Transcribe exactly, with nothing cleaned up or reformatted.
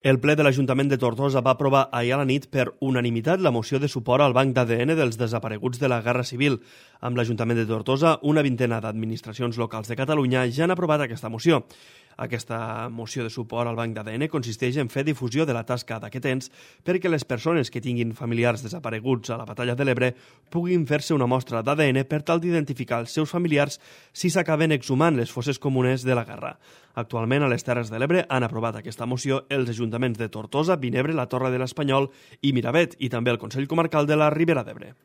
El ple de l'Ajuntament de Tortosa va aprovar ahir a la nit per unanimitat la moció de suport al Banc d'A D N dels desapareguts de la Guerra Civil. Amb l'Ajuntament de Tortosa, una vintena d'administracions locals de Catalunya ja han aprovat aquesta moció. Aquesta moció de suport al Banc d'A D N consisteix en fer difusió de la tasca d'aquest ens perquè les persones que tinguin familiars desapareguts a la Batalla de l'Ebre puguin fer-se una mostra d'A D N per tal d'identificar els seus familiars si s'acaben exhumant les fosses comunes de la guerra. Actualment, a les Terres de l'Ebre han aprovat aquesta moció els ajuntaments de Tortosa, Vinebre, la Torre de l'Espanyol i Miravet, i també el Consell Comarcal de la Ribera d'Ebre.